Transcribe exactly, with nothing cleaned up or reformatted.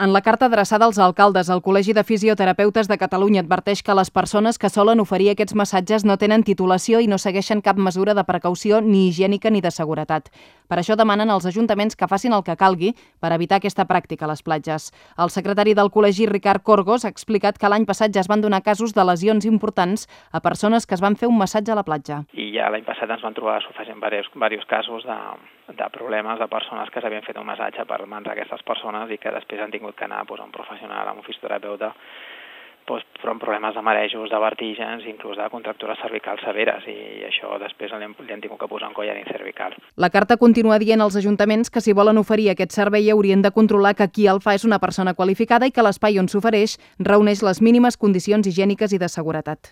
En la carta adreçada als alcaldes, el Col·legi de Fisioterapeutes de Catalunya adverteix que les persones que solen oferir aquests massatges no tenen titulació i no segueixen cap mesura de precaució ni higiènica ni de seguretat. Per això demanen als ajuntaments que facin el que calgui per evitar aquesta pràctica a les platges. El secretari del col·legi, Ricard Corgos, ha explicat que l'any passat ja es van donar casos de lesions importants a persones que es van fer un massatge a la platja. I ja l'any passat ens van trobar sofregint diversos casos de, de problemes de persones que s'havien fet un massatge per mans d'aquestes persones i que després han tingut que anar doncs, a un professional, a un fisioterapeuta, doncs, però amb problemes de marejos, de vertígens, inclús de contractures cervicals severes, i això després li han, li han tingut que posar un collarín cervical. La carta continua dient als ajuntaments que si volen oferir aquest servei haurien de controlar que qui el fa és una persona qualificada i que l'espai on s'ofereix reuneix les mínimes condicions higièniques i de seguretat.